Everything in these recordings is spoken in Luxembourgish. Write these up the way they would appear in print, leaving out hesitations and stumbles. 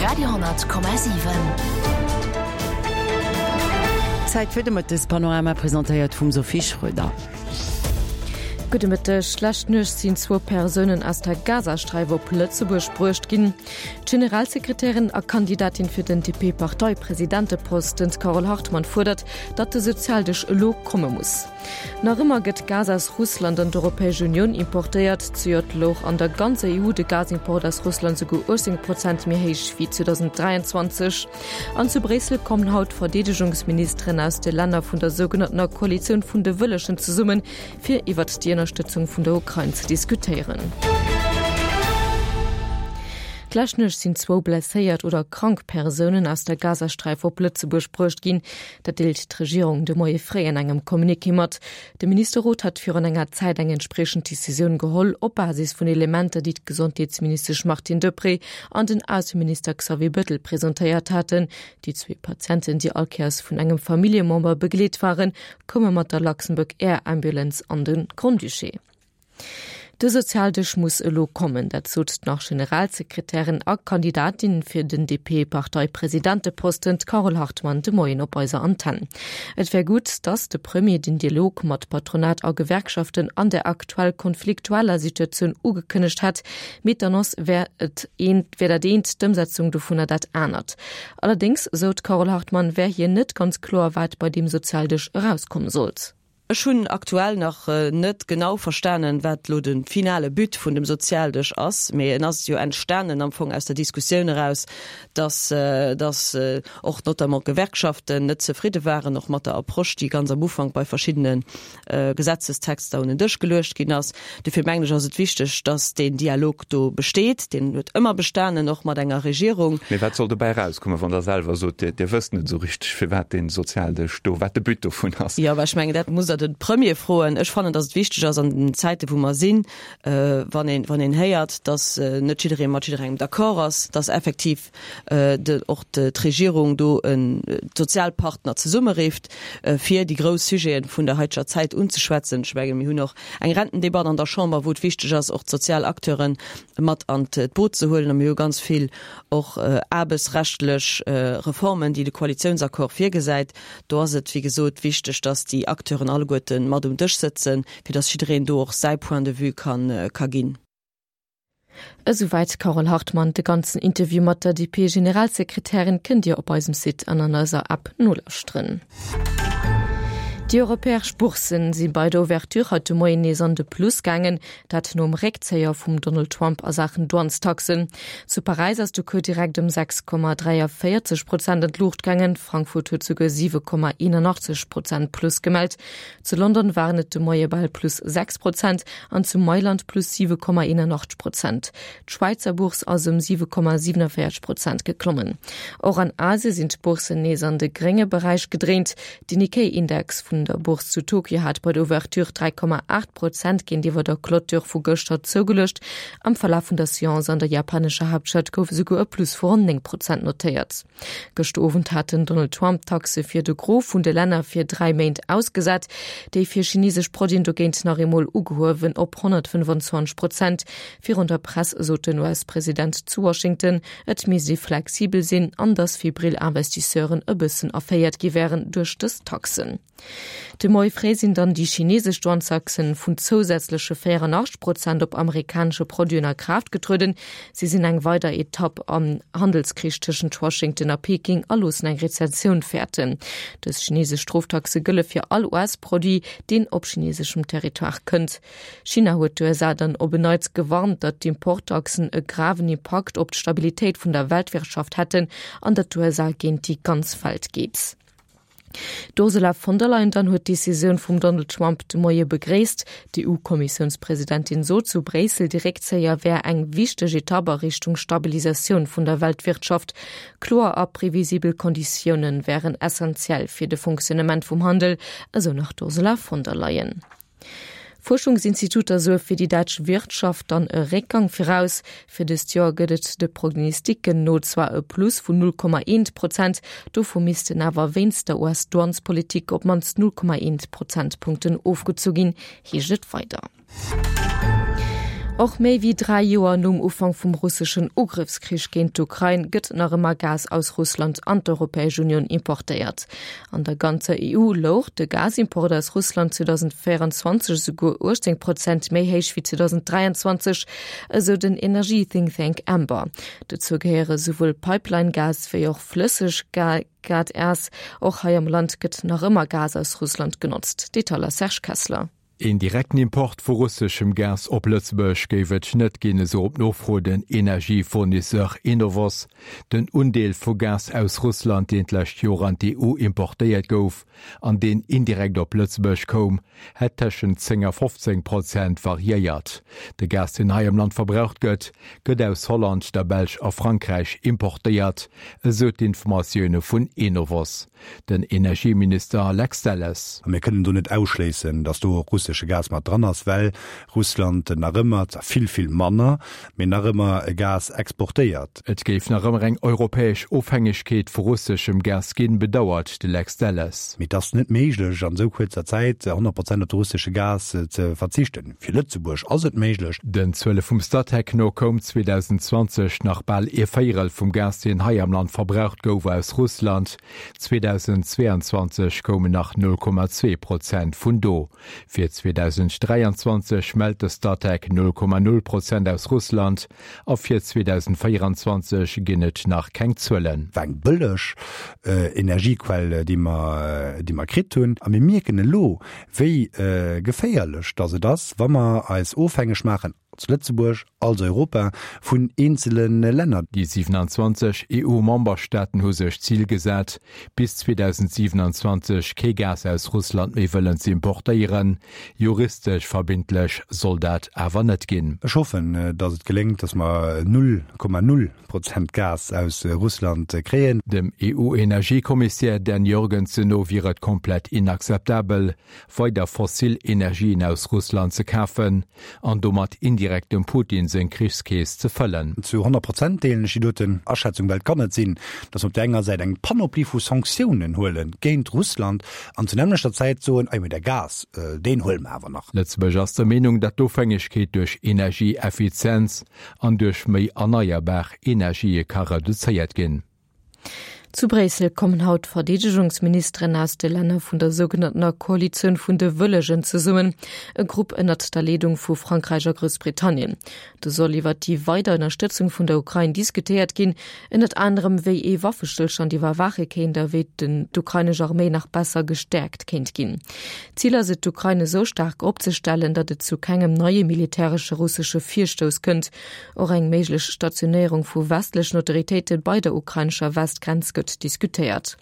Radio,7. Zäit fir de Mëttespanorama, presentéiert vum Sophie Schröder. Gudde Mëtteg. Lescht Nuecht sinn zwou Persounen aus der Gazasträif op Lëtzebuerg bruecht ginn. D'Generalsekretärin a Kandidatin fir den DP-Parteipresidenteposten, d'Carole Hartmann, fuerdert, datt de Sozialdësch elo komme muss. Nach ëmmer gëtt Gas aus Russland an d'Europäesch Unioun importéiert. Zejoert louch an der ganzer EU de Gasimport aus Russland souguer 18 Prozent méi héich wéi 2023. An zu Bréissel kommen haut d'Verdeedegungsministeren aus de Länner vun der sougenanntener Koalitioun vun de Wëllegen zesummen, fir iwwert déi Ënnerstëtzung vun der Ukrain ze diskutéieren. D'lescht Nuecht sinn zwou blesséiert oder krank Persounen aus der Gazasträif op Lëtzebuerg bruecht ginn. Dat deelt d'Regierung de Moie fréi an engem Communiqué mat. De Ministerrot hat virun enger Zäit eng entspriechend Decisioun geholl, op Basis vun Elementer, déi d'Gesondheetsministesch Martine Deprez an den Ausseminister Xavier Bettel presentéiert haten. Déi zwee Patienten, déi all Kéiers vun engem Familljemember begleet waren, koume mat der Luxembourg Air Ambulance an de Grand-Duché. De Sozialdësch muss elo kommen, dat sot d'Nach-Generalsekretärin a Kandidatin fir den DP-Parteipresidenteposten, d'Carole Hartmann, de Moien op eiser Antenn. Et wär gutt, datt de Premier den Dialog mat Patronat a Gewerkschaften an der aktuell konfliktueller Situatioun ugekënnegt hätt, mee d'Annonce wär et eent, wär dat eent, d'Ëmsetzung dovunner dat anert. Allerdéngs, sou d'Carole Hartmann, wär hir net ganz kloer, wat bei deem Sozialdësch erauskomme sollt. Ech hunn aktuell nach net genau verstanen, wat elo de finale But vun dem Sozialdësch ass, mee en ass jo entstanen am Fong aus der Diskussioun eraus, dass, dass och notamment d'Gewerkschaften net zefridde waren och mat der Approche, déi ganz am Ufank bei verschiddene Gesetzestexter un den Dësch geluecht ginn ass. Dofir mengen ech, ass et wichteg, dass deen Dialog do besteet. Deen huet ëmmer bestanen, och mat enger Regierung. Mee wat soll dobäi erauskommen, wann Der selwer sot, Dir, Dir wësst net esou richteg, firwat dee Sozialdësch do, wat de But dovun ass? Jo, mä ech mengen, dat musst Der de Premier froen. Ech fannen, dass et wichteg ass an den Zäiten, wou mer sinn, wann een, wann een héiert, dass net jidderee mat jidderengem d'accord ass, dass effektiv de, och d'Regierung do d'Sozialpartner zesummerifft, fir déi grouss Sujete vun der haiteger Zäit unzeschwätzen. Ech mengen, mir hunn och eng Rentendebatt an der Chamber, wou et wichteg ass, och d'sozial Acteure mat an d'Boot ze huelen. A mir hu ganz vill och aarbechtsrechtlech Reformen, déi de Koalitiounsaccord virgesäit. Do ass et, wéi gesot, wichteg, dass déi Acteuren alleguerte mat um Dësch sëtzen, fir dass jiddereen do och säi Point de vue ka ginn. Esouwäit d'Carole Hartmann. De ganzen Interview mat der DP-Generalsekretärin kënnt Dir op eisem Site an an eiser App nolauschteren. Déi europäesch Bourssen si bei der Ouverture haut de Moien nees an de Plus gaangen, dat nom Réckzéier vum Donald Trump a Saachen Douanestaxen. Zu Paräis ass de Cours direkt ëm 6,43 Prozent an d'Luucht gaangen, Frankfurt huet souguer 7,81 Prozent Plus gemellt. Zu London waren et de Moie bal plus 6 Prozent an zu Mailand plus 7,81 Prozent. D'Schwäizer Bourse ass ëm 7,47 Prozent geklommen. Och an Asie sinn d'Bourssen nees an de grénge Beräich gedréint. De Nikkei-Index vun der Bourse zu Tokio hat bei der Ouverture 3,8 Prozent géintiwwer der Clôture vu gëschter zougeluecht. Am Verlaf vun der Seance an der japanescher Haaptstad gouf esouguer e Plus vu ronn 9 Prozent notéiert. Gëschter Owend hat den Donald Trump d'Taxe fir de Gros vun de Länner fir 3 Méint ausgesat, déi fir chinesesch Produiten dogéint nach eemol ugehuewen op 125 Prozent. Virun der Press sot den US-President zu Washington, et misst ee flexibel sinn an datt febril Investisseuren e bëssen erféiert gi wären duerch dës Taxen. De Moie fréi sinn dann déi chinesesch Douanestaxen vun zousätzleche 84 Prozent op amerikanesche Produiten a Kraaft getrueden. Si sinn eng weider Etapp am Handelskrich tëschent Washington a Peking a loossen eng Rezessioun fäerten. Dës chinesesch Stroftaxe gëlle fir all US-Produit, deen op chineseschem Territoire kënnt. China huet d'USA dann op en Neits gewarnt, datt d'Importtaxen e graven Impakt op d'Stabilitéit vun der Weltwirtschaft hätten an datt d'USA géint déi ganz Welt geet. D'Ursula von der Leyen dann huet d'Decisioun vum Donald Trump de Moie begréisst. D'EU-Kommissiounspresidentin sot zu Bréissel, de Réckzéier wär eng wichteg Etapp a Richtung Stabilisatioun vun der Weltwirtschaft. Kloer a previsibel Konditioune wären essentiell fir de Fonctionnement vum Handel, esou nach d'Ursula von der Leyen. Fuerschungsinstituter soe fir déi däitsch Wirtschaft dann e Réckgang viraus. Fir dëst Joer gëtt et de Prognosticken no zwar e Plus vun 0,1 Prozent, dovu missten awer wéinst der US-Douanespolitik op d'mannst 0,1 Prozentpunkten ofgezu ginn, heescht et weider. Och méi wéi 3 Joer nom Ufank vum russeschen Ugrëffskrich géint d'Ukrain gëtt nach ëmmer Gas aus Russland an d'Europäesch Unioun importéiert. An der ganzer EU louch de Gasimport aus Russland 2024 esouguer 18 Prozent méi héich wéi 2023, esou den Energie-Think-Thank Ember. Dozou gehéiere souwuel Pipeline-Gas wéi och Flësseggas. Och hei am Land gëtt nach ëmmer Gas aus Russland genotzt. Detailer Serge Kessler. Een direkten Import vu russeschem Gas op Lëtzebuerg géif et net ginn, esou op Nofro den Energiefournisseur Enovos. Den Undeel vu Gas aus Russland, deen d'lescht Joer an d'EU importéiert gouf an deen indirekt op Lëtzebuerg koum, hätt tëschent 10 a 15 Prozent variéiert. De Gas, deen hei am Land verbraucht gëtt, gëtt aus Holland, der Belsch a Frankräich importéiert, esou d'Informatioune vun Enovos. Den Energieminister Lex Delles. A mir kënnen do net ausschléissen, datt do och russesche Gas mat dran ass, well Russland nach ëmmer, zwar vill, vill manner, mee nach ëmmer Gas exportéiert. Et géif nach ëmmer eng europäesch Ofhängegkeet vu russeschem Gas ginn, bedauert de Lex Delles. Mee et ass net méiglech, an esou kuerzer Zäit 100 Prozent op de russesche Gas ze verzichten. Fir Lëtzebuerg ass et méiglech. Den Zuele vum Statec no koum 2020 nach bal ee Véierel vum Gas, deen hei am Land verbraucht gouf, aus Russland. 2022 koumen nach 0,2 Prozent vun do. Fir 2023 mellt de Statec 0,0 Prozent aus Russland a fir 2024 ginn et nach keng Zuelen. War eng bëlleg Energiequell, déi mer, déi mer kritt hunn. A mir mierken elo, wéi geféierlech dass et ass, wa mer eis ofhängeg maachen, als Lëtzebuerg, als Europa, vun eenzele Länner. Déi 27 EU-Memberstaaten hu sech d'Zil gesat, bis 2027 kee Gas aus Russland méi wëllen ze importéieren. Juristesch verbindlech soll dat awer net ginn. Ech hoffen, dass et geléngt, dass mer 0,0 Prozent Gas aus Russland kréien. Dem EU-Energiekommissär Dan Jørgensen no wier et komplett inakzeptabel, weider fossil Energien aus Russland ze kafen an domat indirekt dem Putin seng Krichskeess ze fëllen. Zu 100 Prozent deelen ech déi doten Aschätzung, well et kann net sinn, datt mer op där enger Säit eng Panoplie vu Sanktiounen huele géint Russland an zur nämmlechter Zäit soen, ah jo, mee de Gas, deen huele mer awer nach. Lëtzebuerg ass der Meenung, datt d'Ofhängegkeet duerch Energieeffizienz an duerch méi erneierbar Energië ka reduzéiert ginn. Zu Bréissel kommen haut d'Verdeedegungsministeren aus de Länner vun der sougenanntener Koalitioun vun de Wëllegen zesummen, e Grupp ënnert der Leedung vu Frankräich a Groussbritannien. Do soll iwwer déi weider Ënnerstëtzung vun der Ukrain diskutéiert ginn, ënnert anerem wéi ee Waffestëllstand iwwerwaache kéint a wéi den d'ukrainesch Arméi nach besser gestäerkt kéint ginn. Zil ass et, d'Ukrain esou staark opzestellen, datt et zu kengem neie militäresche russesche Virstouss kënnt. Och eng méiglech Stationéierung vu westlechen Autoritéite bei der ukrainescher Westgrenz gëtt diskutéiert.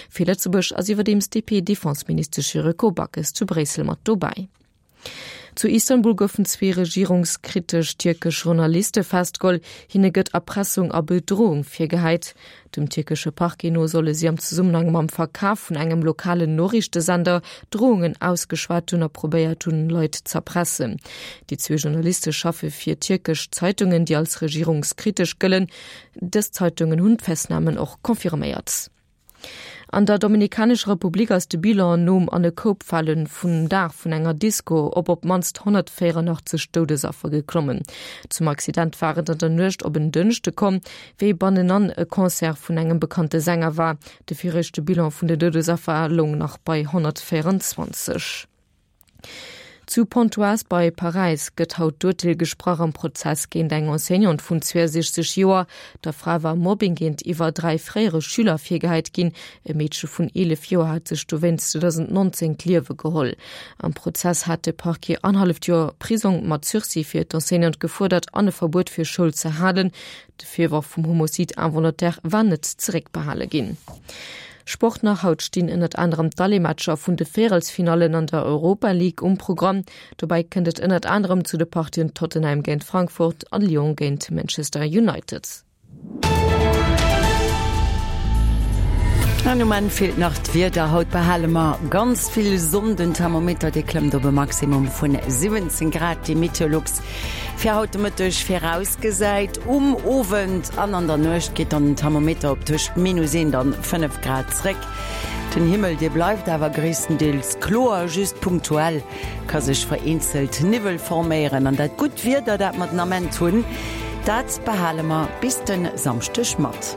Fir Lëtzebuerg ass iwwerdeems d'DP-Defenseministesch Yuriko Backes zu Bréissel mat dobäi. Zu Istanbul goufen zwee regierungskritesch tierkesch Journaliste festgeholl. Hinne gëtt Erpressung a Bedroung virgehäit. Dem tierkesche Parquet no solle si am Zesummenhang mam Verkaf vun engem lokalen Noriichtesender Droungen ausgeschwat hunn a probéiert hunn, Leit z'erpressen. Déi zwee Journaliste schaffe fir tierkesch Zeitungen, déi als regierungskritesch gëllen. Dës Zeitungen hunn d'Festnamen och confirméiert. An der Dominikanescher Republik ass de Bilan nom an e Koup fale vum Daach vun enger Disko op op d'mannst 184 Doudesaffer geklommen. Zum Accident war et an der Nuecht op en Dënschde komm, wéi bannenan e Concert vun engem bekannte Sänger war. De viregte Bilan vun de Doudesaffer loung nach bei 124. Zu Pontoise bei Paräis gëtt haut d'Urteel gesprach am Prozess géint eng Enseignante vun 62 Joer. Der Fra war Mobbing géintiwwer 3 fréiere Schüler virgehäit ginn. E Meedche vun 11 Joer hat sech dowéinst 2019 d'Liewe geholl. Am Prozess hat de Parquet annerhalleft Joer Prisong mat Sursis fir d'Enseignante gefuerdert an e Verbuet fir Schoul ze halen. De Virworf vum Homicide involontaire war net zeréckbehale ginn. Sport nach, Haut stinn ënnert anerem d'Allematcher vun de Véierelsfinallen an der Europa League um Programm. Dobäi kënnt et ënnert anerem zu de Partien Tottenham géint Frankfurt an Lyon géint Manchester United. An um Enn feelt nach d'Wieder. Haut behale mer ganz vill Sonn. Den Thermometer, dee klëmmt op e Maximum vun 17 Grad, déi Meteolux fir haut de Mëtteg virausgesäit. Um Owend an an der Nuecht geet dann den Thermometer op tëscht minus 1 an 5 Grad zréck. Den Himmel, dee bleift awer gréisstendeels kloer, just punktuell ka sech vereenzelt Niwwel forméieren. An dat gutt Wieder, dat mer den Ament hunn, dat behale mer bis de Samschdeg mat.